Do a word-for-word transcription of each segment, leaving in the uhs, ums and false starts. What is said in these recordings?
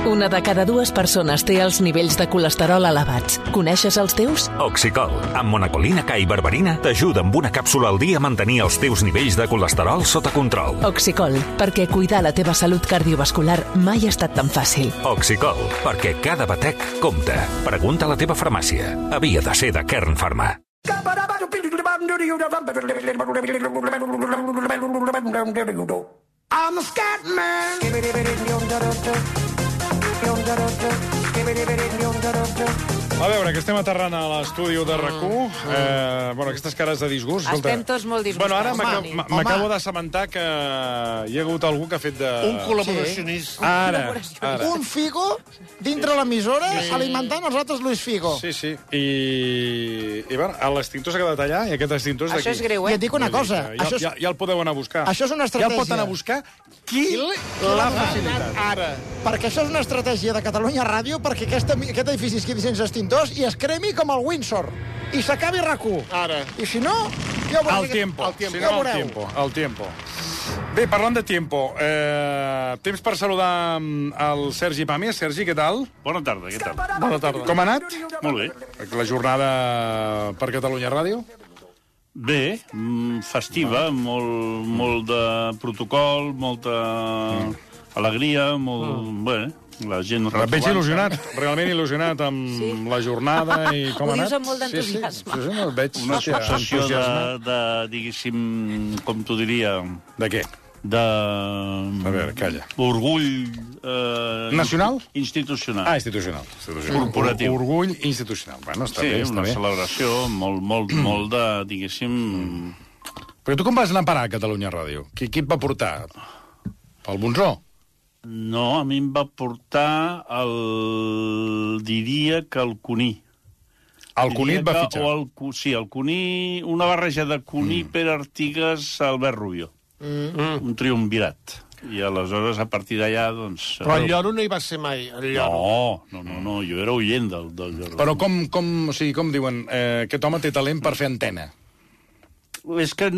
Una de cada dues persones té els nivells de colesterol elevats. Coneixes els teus? Oxicol, amb monacolina K i berberina, t'ajuda amb una càpsula al dia a mantenir els teus nivells de colesterol sota control. Oxicol, perquè cuidar la teva salut cardiovascular mai ha estat tan fàcil. Oxicol, perquè cada batec compta. Pregunta a la teva farmàcia. Havia de ser de Kern Pharma. I'm a scat man. A veure, que estem aterrant a l'estudi de RAC u. Eh, bueno, aquestes cares de disgust. Escolta. Estem tots molt disgustats. Bueno, ara Home, m'aca- m'acabo d'assabentar que hi ha hagut algú que ha fet de... Un col·laboracionista. Ara, ara. Un Figo dintre l'emissora alimentant els altres Luis Figo. Sí, sí. I, i bueno, l'extintor s'ha quedat allà i aquest extintor és d'aquí. Això és greu, I eh? et dic una cosa. Ja, Això és, ja, ja el podeu anar a buscar. això és una Ja el estratègia. pot anar a buscar qui l'ha facilitat. Ara. Perquè això és una estratègia de Catalunya Ràdio perquè aquesta, aquest edifici es quedi sense extintors i es cremi com el Windsor. I s'acabi RAC u. Ara. I si no, ja ho veureu. El tiempo. El tiempo. Si Ja no, ho el veureu. tiempo. El tiempo. Bé, parlant de tiempo, eh, temps per saludar mm, el Sergi Pàmies. Sergi, què tal? Bona tarda, què tal? Bona tarda. Com ha anat Molt bé. la jornada per Catalunya Ràdio? Bé, mm, festiva, molt, molt de protocol, molta alegria, molt... Bé, la gent... Et veig il·lusionat, realment il·lusionat amb Sí. la jornada i com Ho ha dius anat. amb molt d'entusiasme. Sí, sí, sí, sí, no, et veig Una hòstia, successió de, entusiasme. de, diguéssim, com t'ho diria, De què? de... A veure, calla. Orgull... Eh, Nacional? Institucional. Ah, institucional. institucional. Corporatiu. Orgull institucional. Bueno, està sí, bé, està una bé. celebració molt, molt, molt de, diguéssim... Però tu com vas anar a parar a Catalunya Ràdio? Qui, qui et va portar? El Bonzó? No, a mi em va portar el... diria que el Cuní. El Cuní et va Diria que- fitxar. O el, Cu- sí, el Cuní, una barreja de Cuní, mm. Pere Artigas, Albert Rubio. Mm. Un triumvirat. I aleshores, a partir d'allà, doncs... Però el Lloro no hi va ser mai. El Lloro. No, no, no, no, jo era oient del, del Lloro. Però com, com, o sigui, com diuen, eh, aquest home té talent per fer antena. És que...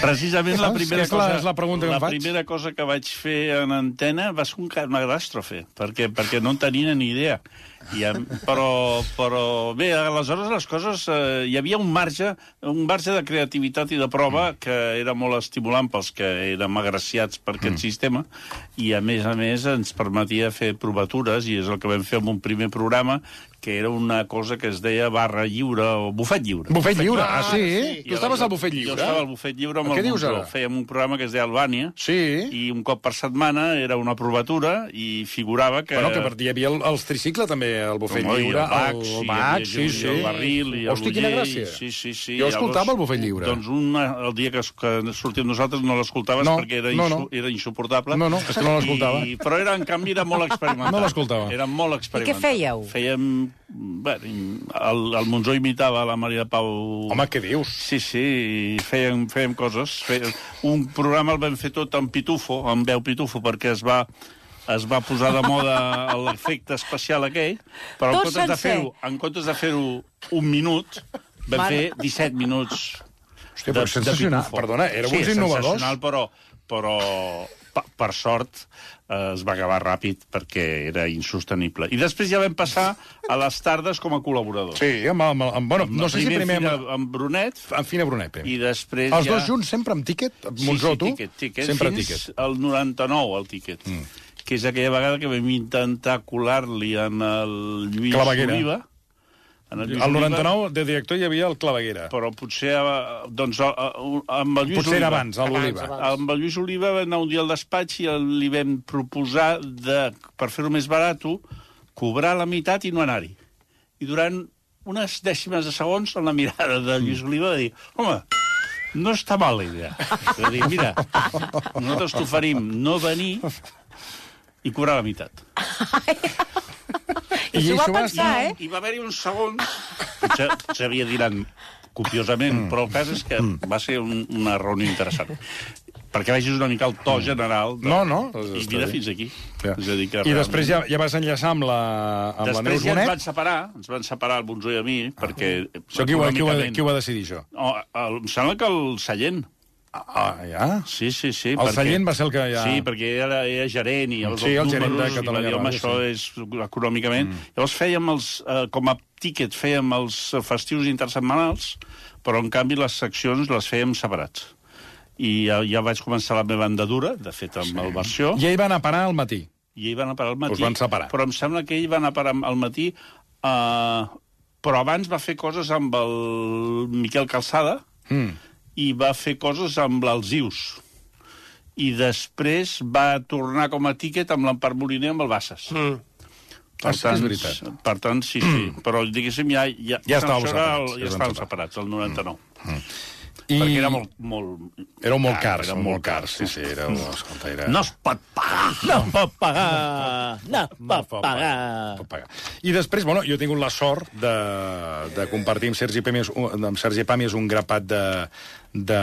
Precisament la Saps? primera, És la- cosa, és la pregunta que em la faig. primera cosa que vaig fer en antena va ser un, ca- una catàstrofe, perquè, perquè no en tenia ni idea. I, em- però, però bé, aleshores les coses... Eh, hi havia un marge, un marge de creativitat i de prova que era molt estimulant pels que érem agraciats per aquest mm. sistema, i a més a més ens permetia fer provatures, i és el que vam fer amb un primer programa, que era una cosa que es deia barra lliure o bufet lliure. Bufet lliure, ah, sí? I Tu estaves aleshores- al bufet lliure? Jo estava al bufet lliure amb Què el dius Bonzó. ara? Fèiem un programa que es deia Albània, Sí. i un cop per setmana era una provatura i figurava que... Bueno, que per, hi havia el, els tricicle, també, el bufet Home, i el lliure. Bax, el, i el hi Bax, havia sí, gent, sí. i el Barril, i el Hosti, quina Uller, gràcia. Sí, sí, sí. Jo escoltava el bufet lliure. Doncs una, el dia que, que sortim nosaltres no l'escoltaves No, perquè era, no, insu, no. era insuportable. No, no, és que no l'escoltava. I- Però era, en canvi, era molt experimental. No l'escoltava. Era molt experimental. I què fèieu? Fèiem... Bé, el, el Monzó imitava la Maria Pau... Home, què dius? Sí, sí, i fèiem, fèiem coses. Fèiem... Un programa el vam fer tot amb pitufo, amb veu pitufo, perquè es va, es va posar de moda l'efecte especial aquell, però en Tot comptes, de sencer. fer-ho, en comptes de fer-ho un minut, vam Mare. fer disset minuts Hòstia, però sensacional. pitufo. Perdona, éreu sí, uns innovadors. sensacional, però, però per, per sort eh, es va acabar ràpid perquè era insostenible. I després ja vam passar a les tardes com a col·laboradors. Sí, amb, amb, amb, bueno, no sé si primer Fina, amb, amb Brunet, amb Fina Brunet. primer. i després Els ja... dos junts sempre amb tíquet? Sí, Monzó, sí, tu? Tiquet, tiquet. Sempre Fins tíquet. al noranta-nou, el tiquet. Mm. Que és aquella vegada que vam intentar colar-li en el Lluís Claveguera. Oliva. En el Lluís Al Oliva, noranta-nou, de director, hi havia el Claveguera. però potser, eh, doncs, a- a- amb el Lluís Potser Oliva. era abans, a l'Oliva. Amb el Lluís Oliva va anar un dia al despatx i el- li vam proposar, de, per fer-ho més barat, cobrar la meitat i no anar-hi. I durant unes dècimes de segons, en la mirada de Lluís Oliva, va dir, home, no està mal la idea. Va dir, mira, nosaltres t'oferim no venir i cobrar la meitat. I s'ho va això va pensar, eh? I va haver-hi uns segons... Potser s'havia diran copiosament, però el cas és que va ser un, una reunió interessant. Perquè vegis una mica el to general... De... No, no, I està mira bé. fins aquí. Ja. És a dir, que I després ja, ja vas enllaçar amb la, amb la Després Neus ja ens Bonet. van separar, ens van separar el Bonzó i a mi, perquè... Això qui ho, qui, ho, econòmicament- qui ho va decidir, això? No, el, em sembla que el Sallent. Ah, ja? Sí, sí, sí. El Sallent va ser el que ja... Sí, perquè era, era gerent i els Sí, el gerent de números, Catalunya i va dir, home, Ràdio, això sí. és econòmicament. Mm. Llavors fèiem els, eh, com a tíquet, fèiem els festius intersetmanals, però en canvi les seccions les fèiem separats. I ja, ja vaig començar la meva andadura, de fet, amb sí. el versió. I ell va anar a parar al matí. I ell va anar a parar al matí. Us van separar. Però em sembla que ell va anar a parar al matí, eh, però abans va fer coses amb el Miquel Calçada, mm. i va fer coses amb l'Alzius. I després va tornar com a tíquet amb l'Empar Moliner amb el Bassas. Mm. Per, ah, sí, tant, és veritat. per tant, sí, sí. Però, diguéssim, ja... Ja, ja estàvem separats. El, ja estàvem separats, el noranta-nou. Mm. I... Perquè era molt... molt... Éreu molt cars, era molt cars. Sí, sí, éreu... Escolta, era... No es pot pagar! No pot pagar! No pot pagar! pot pagar. I després, bueno, jo he tingut la sort de, de compartir amb Sergi Pàmies, amb Sergi Pàmies un grapat de, de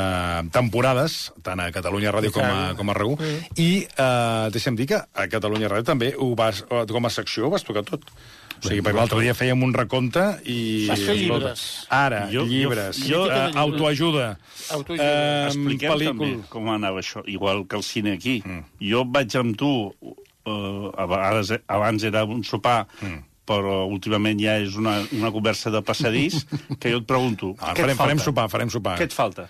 temporades, tant a Catalunya Ràdio com a, com a R U, mm. i eh, deixa'm dir que a Catalunya Ràdio també ho vas, com a secció ho vas tocar tot. O sigui, perquè l'altre dia fèiem un recompte i... Vas fer llibres. Ara, jo, llibres, jo, jo, uh, autoajuda. Autoajuda. Uh, Expliquem pel·lícul... també com anava això, igual que el cine aquí. Mm. Jo vaig amb tu, uh, a vegades, abans era un sopar, mm. però últimament ja és una, una conversa de passadís, que jo et pregunto... Ah, farem, farem sopar, farem sopar. Què et falta?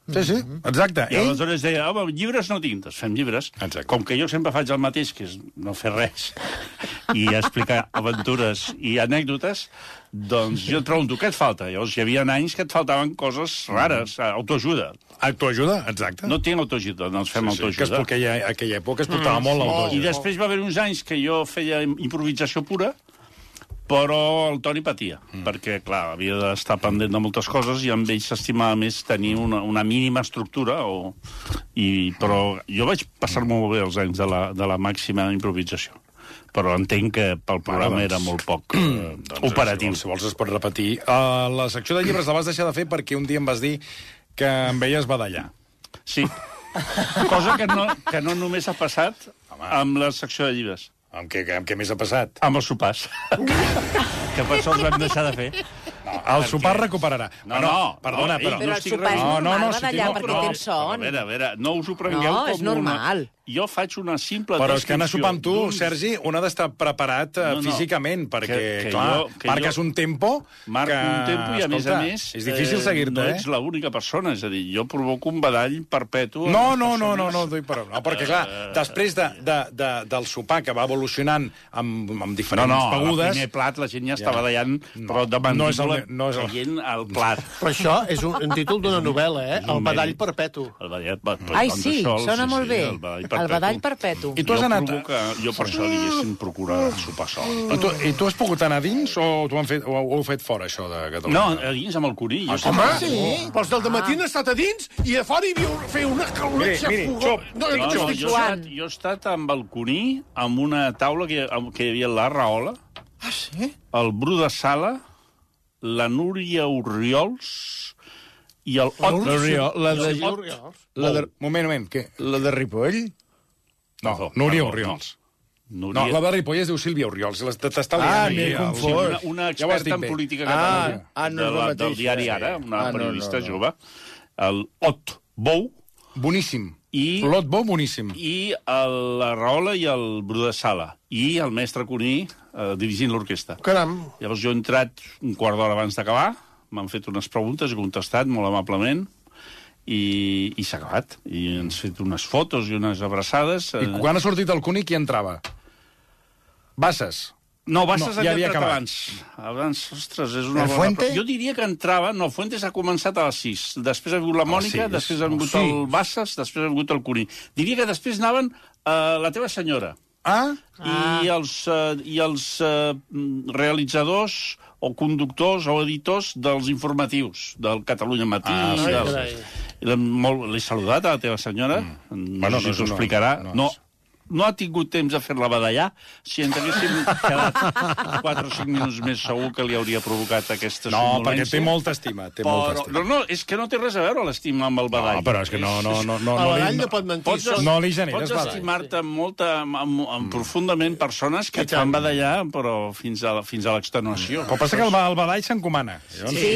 Sí, sí, exacte. I aleshores deia, home, llibres no tinc, doncs fem llibres. Exacte. Com que jo sempre faig el mateix, que és no fer res, i explicar aventures i anècdotes, doncs jo et pregunto, què et falta? Llavors hi havia anys que et faltaven coses rares, autoajuda. Autoajuda, exacte. No tinc autoajuda, doncs fem sí, sí, autoajuda. Que és perquè aquella, aquella època es portava mm, molt l'autoajuda. I després va haver uns anys que jo feia improvisació pura, però el Toni patia, mm. perquè, clar, havia d'estar pendent de moltes coses i amb ell s'estimava més tenir una, una mínima estructura, o... I, però jo vaig passar molt bé els anys de la, de la màxima improvisació. Però entenc que pel programa bueno, doncs, era molt poc eh, doncs, operatiu. Si vols, si vols es pot repetir. Uh, la secció de llibres la vas deixar de fer perquè un dia em vas dir que em veies badallar. Sí. Cosa que no, que no només ha passat Home. amb la secció de llibres. Amb què, amb què més ha passat? Amb els sopars. Que per sort vam deixar de fer. No, el sopar recuperarà. No, no, perdona, no, però... Però el sopar és normal, no, no, no, badallar, si perquè no, tens son. A veure, a veure, no us ho prengueu no, com és normal. Una... Jo faig una simple però és que anar a sopar amb tu, Sergi, un ha d'estar preparat no, no, físicament, perquè, que, que clar, jo, que marques jo... un tempo... Marco que... un tempo i, a més a més... És difícil eh, seguir-te, no eh? No ets l'única persona, és a dir, jo provoco un badall perpetu... No, no, no, no, no, doy per... no, perquè, clar, després de, de, de, del sopar que va evolucionant amb, amb diferents no, no, begudes... No, no, primer plat la gent ja està badallant, no, però de mandíbula no és el, no és el... caient al plat. Però això és un, un títol d'una novel·la, eh? El badall perpetu. El badall, Ai, sí, sona molt bé. El badall perpetu. I tu has jo anat... Provoca, jo per això diguéssim procurar sopar sol. I tu, I tu has pogut anar a dins o t'ho han fet, o ho heu fet fora, això de Catalunya? No, a dins amb el Curí. Ah, home, sí. Però els del dematí han estat a dins i a fora hi havia fer una calonetxa fogó. No, no, no, jo, he estat, jo he estat amb el Curí, amb una taula que, que hi havia la Rahola, ah, sí? el Bru de Sala, la Núria Orriols i el Ot... La de... La de... Moment, moment, què? La de Ripoll? No, no, Núria Orriols. No. Núria... no, la de Ripoll és diu Sílvia Orriols. T'està ah, m'he confós. Una, una experta ja en política catalana, ah, ah, no de la, del diari Ara, una ah, periodista no, no, no. jove, el Ot Bou. Boníssim. I, L'Ot Bou, boníssim. I el, la Rahola i el Bru de Sala. I el mestre Cuní eh, dirigint l'orquestra. Caram. Llavors jo he entrat un quart d'hora abans d'acabar, m'han fet unes preguntes, he contestat molt amablement, i, i s'ha acabat. I ens fet unes fotos i unes abraçades. I quan ha sortit el Cuní, qui entrava? Bassas? No, Bassas no, ja havia acabat. abans. Abans, ostres, és una el bona... Fuente? Jo diria que entrava... No, Fuentes ha començat a les sis. Després ha vingut la Mònica, després ha vingut el Bassas, després ha vingut el Cuní. Diria que després anaven uh, la teva senyora. Ah? I ah. els, uh, i els uh, realitzadors o conductors o editors dels informatius, del Catalunya Matí. Ah, sí, del... L'he saludat a la teva senyora, mm. no bueno, sé si no, us ho explicarà. No, no. no ha tingut temps de fer-la badallar. Si ens haguéssim quedat quatre o cinc minuts més, segur que li hauria provocat aquesta no, somnolència. No, perquè té molta estima. Té però, molta estima. No, no, és que no té res a veure l'estima amb el badall. No, però és que no... no, no, no, el badall no, no pot mentir. Pots, no li generes pots badall. estimar-te molta, amb, amb, amb profundament persones que et fan badallar, però fins a, fins a l'extenuació. Però passa que el, el badall s'encomana. Sí.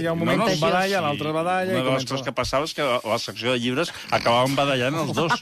Hi ha un moment no, no, que un badalla, l'altre badalla... Una de les coses que passava és que a la secció de llibres acabàvem badallant els dos.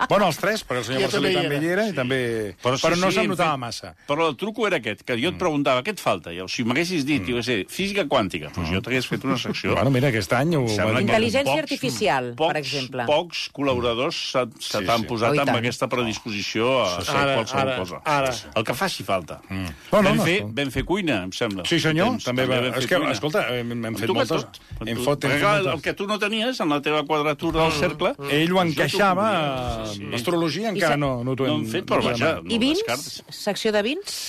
Bueno, els tres, perquè el senyor Marcelí també hi era i també... Però, sí, però no sí, se'm notava massa. Però el truco era aquest, que jo et preguntava, què et falta? I si m'haguessis dit, mm. jo sé, física quàntica, doncs jo t'hagués fet una secció. Bueno, mira, aquest any... Ho... Intel·ligència pocs, artificial, pocs, per exemple. Pocs col·laboradors se, se sí, t'han sí. posat oh, amb aquesta predisposició a sí, sí. fer ara, qualsevol ara, cosa. Ara. El que faci falta. Mm. Oh, no, vam, no, fer, no. vam fer cuina, em sembla. Sí, senyor, temps, també, també va... És que, cuina. Escolta, hem, hem fet moltes... Hem fot, hem fet el que tu no tenies en la teva quadratura del cercle... Ell ho encaixava, l'astrologia encara no t'ho hem... fet, però vaja... I vins? Secció de vins?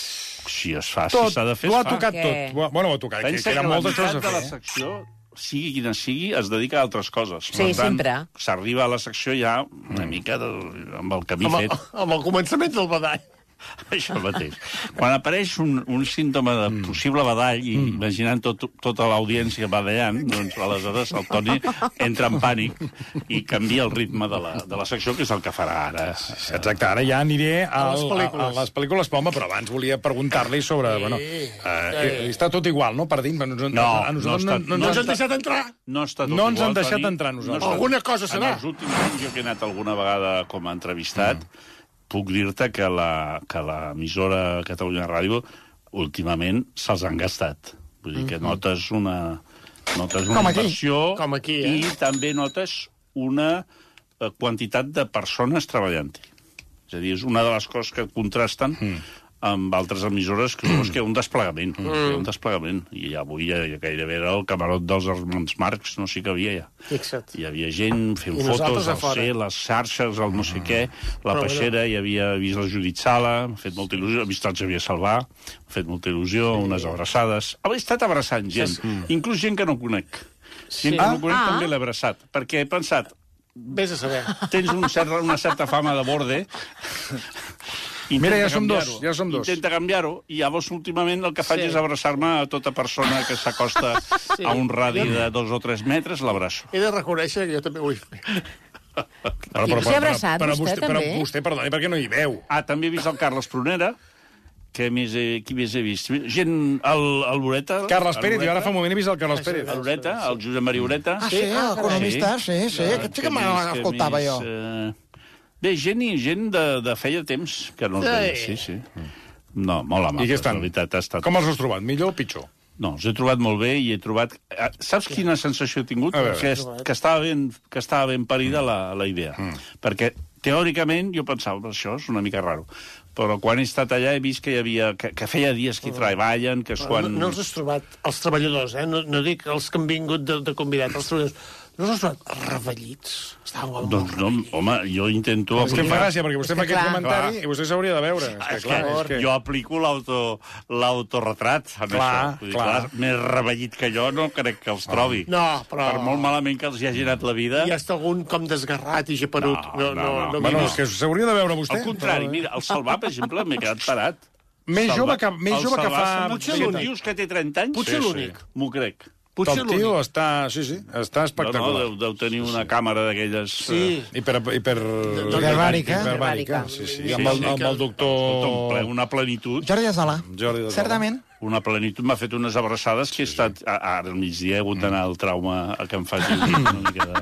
Si es fa, si s'ha de fer, es fa. Ho ha tocat tot. Bueno, ho ha tocat, que eren moltes coses a fer. La secció, sigui quina sigui, es dedica a altres coses. Sí, sempre. S'arriba a la secció ja una mica amb el camí fet. Amb el començament del badall. Això mateix. Quan apareix un, un símptoma de possible badall, i mm. imaginant tot, tota l'audiència badallant, doncs aleshores el Toni entra en pànic i canvia el ritme de la, de la secció, que és el que farà ara. Exacte, ara ja aniré a, a, les, pel·lícules. a, a les pel·lícules, home, però abans volia preguntar-li sobre... Sí, bueno, eh, està tot igual, no, per dins? No, no, a nosaltres no, no, no, no ens han deixat entrar. No, està tot no ens igual, han deixat Toni. entrar nosaltres. Alguna cosa serà. En els últims anys, jo que he anat alguna vegada com a entrevistat, mm. puc dir-te que la, que l'emissora Catalunya Ràdio últimament se'ls han gastat. Vull dir que notes una, notes una inversió Com aquí, eh? i també notes una quantitat de persones treballant-hi. És a dir, és una de les coses que contrasten mm. amb altres emissores que és que hi ha un desplegament. Mm. Hi ha un desplegament. I avui ja, ja gairebé era el camarot dels germans Marx, no sé què havia ja. Fixa't. Hi havia gent fent fotos al C, les xarxes, el no sé què, la Però peixera, hi havia vist la Judit Sala, m'ha fet molta il·lusió, ha vist el Xavier Salvà, m'ha fet molta il·lusió, sí. unes abraçades. Ha estat abraçant gent, sí. inclús gent que no conec. Sí. Gent que no conec ah. també l'he abraçat, perquè he pensat... Vés a saber. Tens un cert, una certa fama de borde... Intenta Mira, ja som dos, ja som dos. Intenta canviar-ho, i llavors últimament el que faig sí. és abraçar-me a tota persona que s'acosta sí. a un radi de dos o tres metres, l'abraço. He de reconèixer que jo també vull fer. Però, però, s'ha abraçat, però, vostè, vostè, també? Però vostè, perdoni, perquè no hi veu. Ah, també he vist el Carles Prunera, que més he, qui més he vist? Gent, el, el Loreta... Carles Pérez, jo ara fa un moment he vist el Carles Pérez. El Loreta, el Josep Maria Ureta. Ah, sí, l'economista, sí, sí, aquest sí que m'escoltava jo. Eh... Bé, gent i gent de, de feia temps que no els veia, sí, sí. No, molt amables, la veritat. Ha estat... Com els has trobat, millor o pitjor? No, els he trobat molt bé i he trobat... Saps quina sensació he tingut? Que, que, estava ben, que estava ben parida la, la idea. Mm. Perquè, teòricament, jo pensava, això és una mica raro. Però quan he estat allà he vist que hi havia... que, que feia dies que hi treballen, que és quan... No, no els has trobat, els treballadors, eh? No, no dic els que han vingut de, de convidat, els treballadors... No els has trobat revellits? Estaven molt doncs no, home, jo intento... És que em fa gràcia, perquè vostè fa aquest clar, comentari clar. I vostè s'hauria de veure. És que, és clar, és que... Jo aplico l'autoretrat amb clar, això. Vull dir, clar. clar, més revellit que jo no crec que els trobi. No, però... Per molt malament que els hi hagi anat la vida... Hi ha algun com desgarrat i geperut. No, no, no. no, no, no bueno, és que s'hauria de veure vostè. Al contrari, mira, el Salvà, per exemple, m'he quedat parat. Més jove que, més jove que fa... Potser l'únic. Dius que té trenta anys? Potser l'únic. M'ho crec. Potser el tio està... Sí, sí, està espectacular. No, no, deu, deu tenir una sí. càmera d'aquelles... Sí. Uh, hiper... hiper... Hiperbàrica. Hiperbàrica, sí, sí. sí, amb, el, amb el doctor... Una plenitud. Jordi Azala. Jordi Azala. Certament. Una plenitud. M'ha fet unes abraçades que he estat... Ara, al migdia, he hagut d'anar al trauma a que em faci una mica de...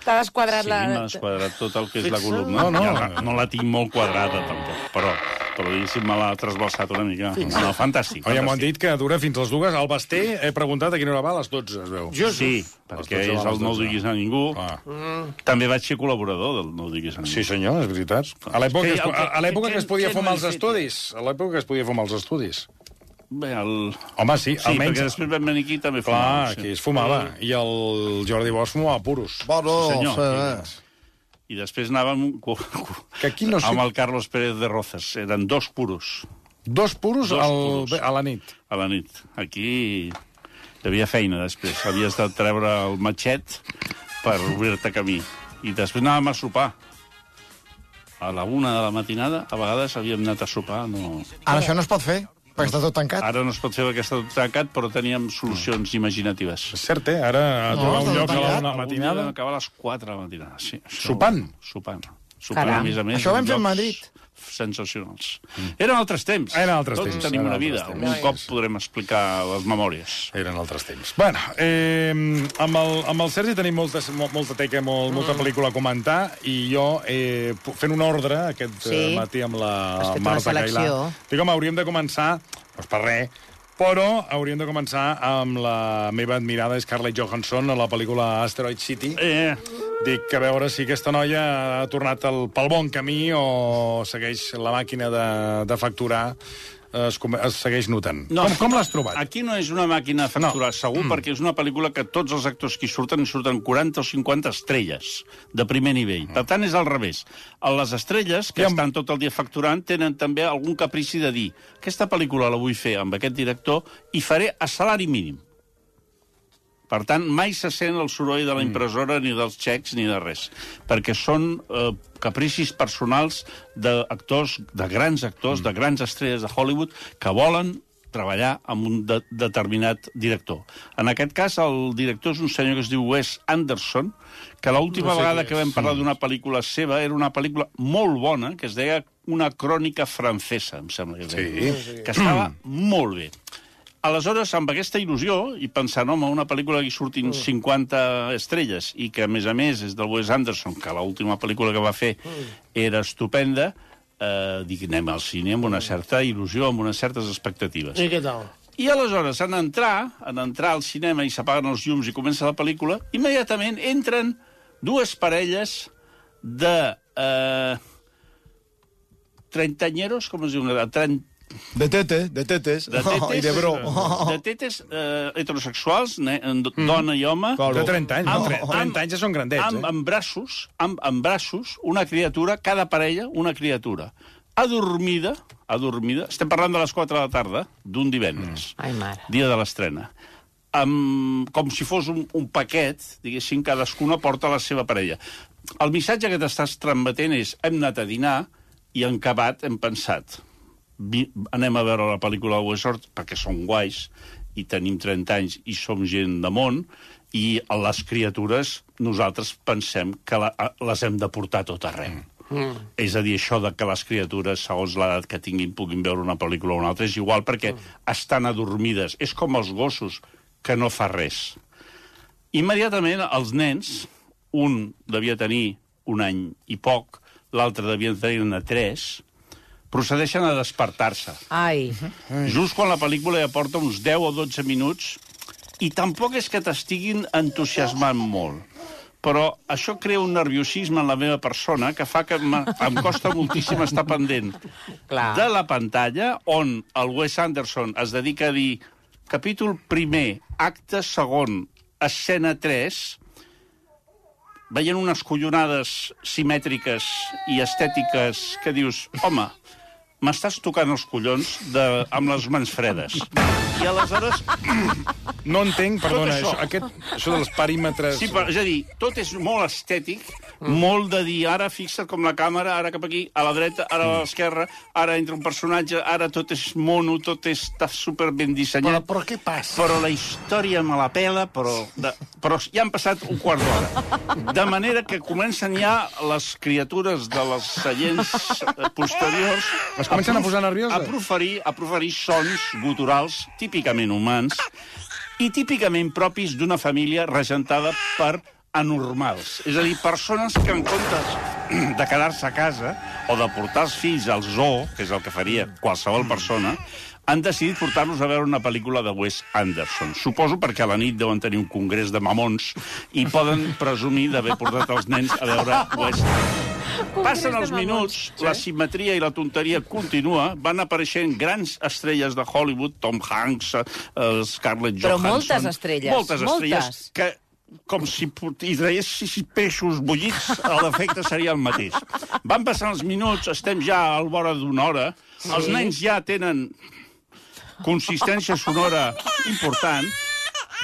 T'ha desquadrat la... Sí, m'ha desquadrat tot el que és la columna. No, no. No la tinc molt quadrada, tampoc, però... però diguéssim, me l'ha trasbalsat una mica. No, fantàstic. Oh, ja m'ho han dit que dura fins les dues. Al Basté he preguntat a quina hora va, a les dotze, es veu. Jo sí, perquè és el No ho diguis a ningú. Ah. Mm. També vaig ser col·laborador del No ho diguis a ningú. Sí, senyor, és veritat. A l'època que, que, que, que es podia fumar als estudis. A l'època que es podia fumar als estudis. Bé, el... Home, sí, sí almenys... perquè després vam venir aquí també fumava. Clar, sí. aquí es fumava. I el Jordi Bosch fumava puros. Bueno, sí, senyor. I després anàvem que aquí no sé... amb el Carlos Pérez de Rozas. Eren dos puros. Dos puros, dos al... puros. a la nit? A la nit. Aquí hi havia feina després. Havies de treure el matxet per obrir-te camí. I després anàvem a sopar. A la una de la matinada, a vegades havíem anat a sopar, no... Ara això no es pot fer, perquè està tot tancat. Ara no es pot fer perquè està tot tancat, però teníem solucions imaginatives. És cert, eh? Ara a No, trobar està un lloc tot a la tancat. una de la matinada... Vam acabar a les quatre de la matinada, sí. Això- Sopant? Sopant. Sopant, Caram. a més a més. Això ho vam en fer a llocs Madrid. Sensacionals. Eren altres temps. Eren altres Tots temps, tenim eren una altres vida. temps. Un cop podrem explicar les memòries. Eren altres temps. Bueno, eh, amb, el, amb el Sergi tenim molta, molta teca, molt, molta pel·lícula a comentar, i jo, eh, fent un ordre aquest Sí. sí. matí amb la Has fet una Marta selecció. Cailà, dic, home, hauríem de començar, doncs per res, però hauríem de començar amb la meva admirada Scarlett Johansson a la pel·lícula Asteroid City. Eh, Dic, a veure si aquesta noia ha tornat el, pel bon camí o segueix la màquina de, de facturar, es, come- es segueix notant. No. Com, com l'has trobat? Aquí no és una màquina de facturar, No. segur, mm. perquè és una pel·lícula que tots els actors que hi surten, hi surten quaranta o cinquanta estrelles de primer nivell. Per tant, és al revés. Les estrelles, que I amb- estan tot el dia facturant, tenen també algun caprici de dir aquesta pel·lícula la vull fer amb aquest director i faré a salari mínim. Per tant, mai se sent el soroll de la impressora, ni dels xecs, ni de res. Perquè són eh, capricis personals d'actors, de grans actors, de grans estrelles de Hollywood, que volen treballar amb un de determinat director. En aquest cas, el director és un senyor que es diu Wes Anderson, que l'última No sé vegada qui que és. vam parlar d'una pel·lícula seva era una pel·lícula molt bona, que es deia Una crònica francesa, em sembla que es deia, Sí. que estava molt bé. Aleshores, amb aquesta il·lusió, i pensant, home, una pel·lícula que hi surtin cinquanta estrelles, i que, a més a més, és del Wes Anderson, que l'última pel·lícula que va fer era estupenda, eh, dic, anem al cine amb una certa il·lusió, amb unes certes expectatives. I què tal? I aleshores, en entrar, en entrar al cinema i s'apaguen els llums i comença la pel·lícula, immediatament entren dues parelles de... Eh, treintañeros, com es diu? trenta De tetes, de tetes. de tetes, Oh, I de bro. de tetes eh, heterosexuals, ne, dona i home, De trenta anys, no? Amb- Tre- trenta anys ja són grandets, amb, eh? amb braços, amb, amb braços, una criatura, cada parella, una criatura. Adormida, adormida, estem parlant de les quatre de la tarda, d'un divendres, Ai, mare. dia de l'estrena. Amb, com si fos un, un paquet, diguéssim, cadascuna porta la seva parella. El missatge que t'estàs transmetent és hem anat a dinar i en acabat hem pensat vi, anem a veure la pel·lícula de Westworld perquè som guais i tenim trenta anys i som gent de món i les criatures nosaltres pensem que la, les hem de portar a tot arreu. Mm. És a dir, això de que les criatures, segons l'edat que tinguin, puguin veure una pel·lícula o una altra, és igual perquè mm. estan adormides. És com els gossos, que no fa res. Immediatament, els nens, un devia tenir un any i poc, l'altre devia tenir-ne tres, procedeixen a despertar-se. Ai. Just quan la pel·lícula ja porta uns deu o dotze minuts, i tampoc és que t'estiguin entusiasmant molt. Però això crea un nerviosisme en la meva persona que fa que em costa moltíssim estar pendent Clar. de la pantalla, on el Wes Anderson es dedica a dir capítol primer, acte segon, escena tres, veient unes collonades simètriques i estètiques que dius, home, m'estàs tocant els collons de, amb les mans fredes. I aleshores... No entenc, perdona, Tot això. això, aquest, això dels perímetres... Sí, però, és a dir, tot és molt estètic, mm. molt de dir, ara fixa't com la càmera, ara cap aquí, a la dreta, ara a l'esquerra, ara entra un personatge, ara tot és mono, tot està super ben Però, dissenyat. però què passa? Però la història me la pela, però, de, però ja han passat un quart d'hora. De manera que comencen ja les criatures de les seients eh, posteriors... Es comencen a posar nervioses? A proferir, a proferir sons guturals típicament humans i típicament propis d'una família regentada per anormals. És a dir, persones que en comptes de quedar-se a casa o de portar els fills al zoo, que és el que faria qualsevol persona, han decidit portar-los a veure una pel·lícula de Wes Anderson. Suposo perquè a la nit deuen tenir un congrés de mamons i poden presumir d'haver portat els nens a veure Wes Anderson. Passen els minuts, la simetria i la tonteria continua, van apareixent grans estrelles de Hollywood, Tom Hanks, eh, Scarlett Però Johansson... moltes estrelles, Moltes estrelles, moltes. que com si hi traguessis peixos bullits, l'efecte seria el mateix. Van passar els minuts, estem ja al vora d'una hora, sí. Els nens ja tenen consistència sonora important,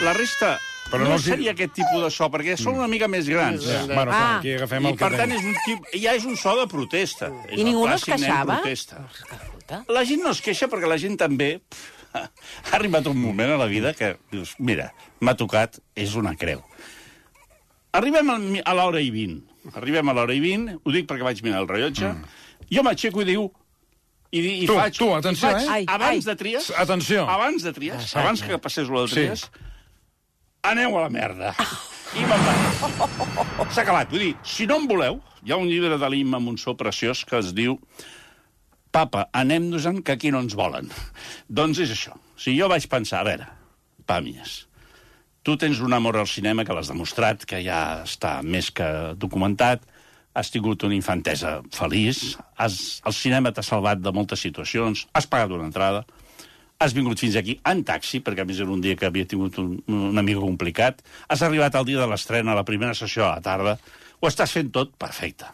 la resta Però no, no no els- seria aquest tipus de so, perquè són una mica més grans. Ja. Bueno, Ah. clar, aquí agafem I, el que per tant, tenim. és un tip, ja és un so de protesta. És I el ningú no es clàssic nen queixava? protesta. Escolta. La gent no es queixa perquè la gent també... pff, ha arribat un moment a la vida que dius, mira, m'ha tocat, és una creu. Arribem al mi- a l'hora i vint. Arribem a l'hora i vint, ho dic perquè vaig mirar el rellotge, mm. jo m'aixeco i diu... I, di- i Tu, faig, tu, atenció, i faig, eh? Ai, abans ai. de tries... Atenció. Abans de tries, abans que passés lo de Sí. tries, aneu a la merda. I me'n vaig. S'ha acabat. Vull dir, si no en voleu, hi ha un llibre de l'Imma Monsó preciós que es diu Papa, anem-nos-en que aquí no ens volen. Doncs és això. Si jo vaig pensar, a veure, Pàmies, tu tens un amor al cinema que l'has demostrat, que ja està més que documentat, has tingut una infantesa feliç, has, el cinema t'ha salvat de moltes situacions, has pagat una entrada, has vingut fins aquí en taxi, perquè a més era un dia que havia tingut un, una mica complicat, has arribat al dia de l'estrena, a la primera sessió a la tarda, ho estàs fent tot perfecte.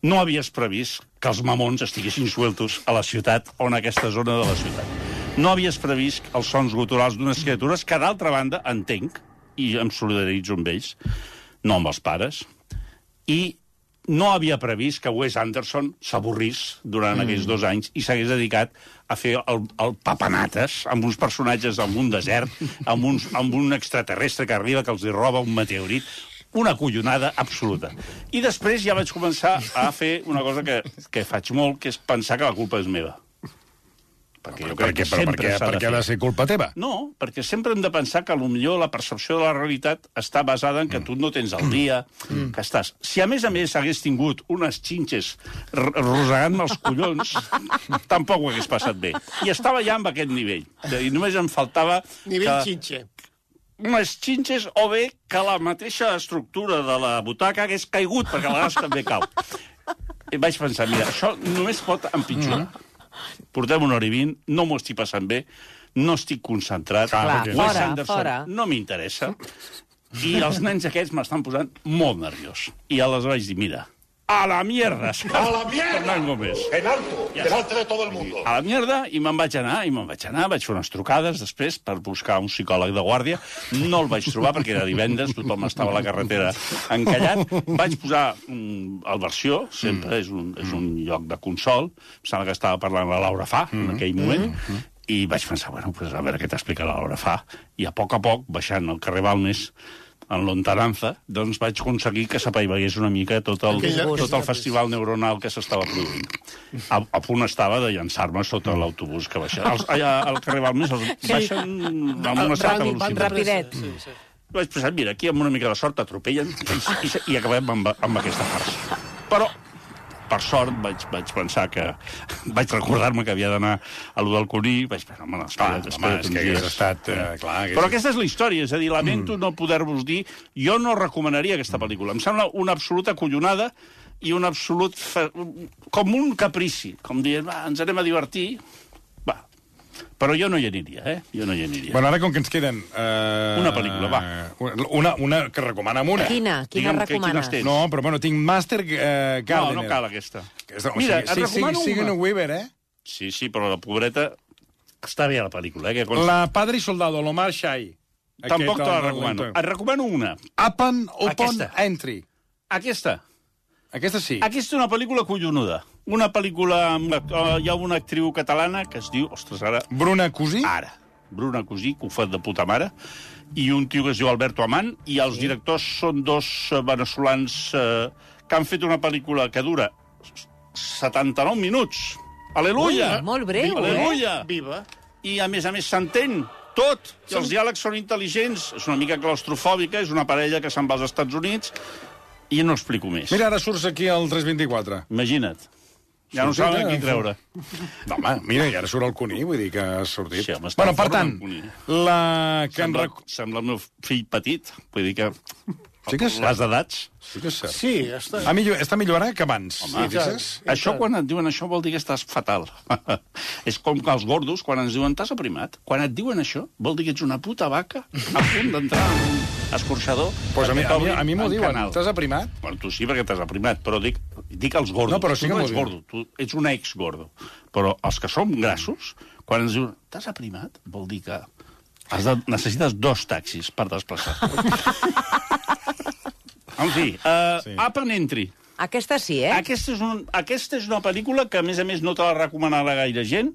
No havies previst que els mamons estiguessin sueltos a la ciutat o en aquesta zona de la ciutat. No havies previst els sons guturals d'unes criatures que, d'altra banda, entenc, i em solidaritzo amb ells, no amb els pares, i no havia previst que Wes Anderson s'avorrís durant mm. aquells dos anys i s'hagués dedicat a fer el, el papanates amb uns personatges en un desert, amb, uns, amb un extraterrestre que arriba que els hi roba un meteorit, una collonada absoluta. I després ja vaig començar a fer una cosa que, que faig molt, que és pensar que la culpa és meva. Perquè jo crec que però sempre per què, s'ha per de què ha de fer. ser culpa teva? No, perquè sempre hem de pensar que potser la percepció de la realitat està basada en que tu no tens el dia, que estàs... Si a més a més hagués tingut unes xinxes r- rosegant-me els collons, tampoc ho hagués passat bé. I estava ja amb aquest nivell. I només em faltava... Nivell que... xinxe. unes xinxes o bé que la mateixa estructura de la butaca hagués caigut, perquè a vegades també cau. I vaig pensar, mira, això només pot empitjorar. Mm. Portem una hora i vint, no m'ho estic passant bé, no estic concentrat. Clar, Wes fora, Anderson fora. no m'interessa. I els nens aquests m'estan posant molt nerviós. I aleshores vaig dir, mira, a la mierda, ¡A la mierda! Fernán Gómez. En alto, Ja delante de todo el mundo. A la mierda, i me'n vaig anar, i me'n vaig anar, vaig fer unes trucades després per buscar un psicòleg de guàrdia. No el vaig trobar perquè era divendres, tothom estava a la carretera encallat. Vaig posar mm, el versió, sempre és, un, és un lloc de consol. Em sembla que estava parlant la Laura Fa en aquell moment. I vaig pensar, bueno, pues a veure què t'explica la Laura Fa. I a poc a poc, baixant al carrer Balmes, en lontananza, doncs vaig aconseguir que s'apaivagués una mica tot el, Aquella- tot el festival neuronal que s'estava produint. A, a punt estava de llançar-me sota l'autobús que baixava. Els, allà al carrer Balmes els baixen amb una certa Ràpid, velocitat. Rapidet. Sí, sí. Vaig pensar, mira, aquí amb una mica de sort t'atropellen i, i, i acabem amb, amb aquesta farsa. Però, per sort, vaig, vaig pensar que... Vaig recordar-me que havia d'anar a lo del Cuní, vaig pensar, home, espera't, Home, espera't és uns que hagués dies. estat... Eh, clar, hagués... Però aquesta és la història, és a dir, lamento mm. no poder-vos dir... Jo no recomanaria aquesta pel·lícula. Em sembla una absoluta collonada i un absolut... Fa... com un caprici. Com dient, va, ens anem a divertir... Va. Però jo no hi aniria, eh? Jo no hi aniria. Bueno, ara com que ens queden... Eh, Una pel·lícula, va. Una, una que recomana'm una. Quina? Quina Digue'm que- recomanes? quines tens? No, però bueno, tinc Master eh, no, Gardener. no cal aquesta. Aquesta, o Mira, sigui, et sí, recomano sí, Sigourney una. Weaver, eh? Sí, sí, però la pobreta... Està bé, la pel·lícula, eh? Que consta... La Padre i Soldado, l'Omar Shai. Tampoc Aquest, te la el- recomano. el- Et recomano una. Upon, upon Aquesta. Entry. Aquesta. Aquesta sí. Aquesta és una pel·lícula collonuda. Una pel·lícula... Amb... Uh, hi ha una actriu catalana que es diu... Ostres, ara... Bruna Cosí. Ara. Bruna Cosí, que ho fa de puta mare, i un tio que es diu Alberto Amán, i els sí. directors són dos eh, veneçolans eh, que han fet una pel·lícula que dura setanta-nou minuts. Aleluia! Ui, molt breu, Aleluia! Viva. I, a més a més, s'entén tot. I els diàlegs són intel·ligents. És una mica claustrofòbica, és una parella que se'n va als Estats Units, i no explico més. Mira, ara surts aquí al tres vint-i-quatre. Imagina't. Ja no Sortit, saben eh? qui treure. No, home, mira, i ara surt el Cuní, vull dir que has sortit. Sí, home, està bueno, per fora tant, del Cuní. la que en Sembla, rec... sembla el meu fill petit. Vull dir que... Sí que és cert. Les edats... Sí que és cert. Sí, està... Ha millor, està millorant que abans. Home, sí, fixes? Això, quan et diuen això, vol dir que estàs fatal. És com que els gordos, quan ens diuen t'has aprimat, quan et diuen això, vol dir que ets una puta vaca a punt d'entrar en un escorxador. Pues a mi, a mi, perquè a mi m'ho t'obrin diuen. en canal. T'has aprimat? Bueno, tu sí, perquè t'has aprimat, però dic, dic als gordos. No, però sí tu que no m'ho ets diuen. gordo, tu ets un ex-gordo. Però els que som grassos, quan ens diuen t'has aprimat, vol dir que Has de, necessites dos taxis per desplaçar. En fi, uh, sí. Up and Entry. Aquesta sí, eh? Aquesta és, un, aquesta és una pel·lícula que, a més a més, no te la recomanarà gaire gent,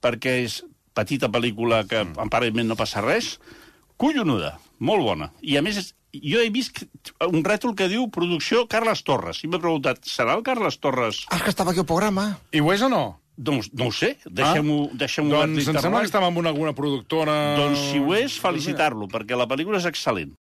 perquè és petita pel·lícula que mm. aparentment no passa res, collonuda, molt bona. I, a més, jo he vist un rètol que diu producció Carles Torres. I m'he preguntat, serà el Carles Torres? Ah, que estava aquí al programa. I ho és o no? Doncs no ho sé, deixem-ho ah? deixem doncs em sembla que estava amb una, alguna productora... Doncs si ho és, felicitar-lo, perquè la pel·lícula és excel·lent.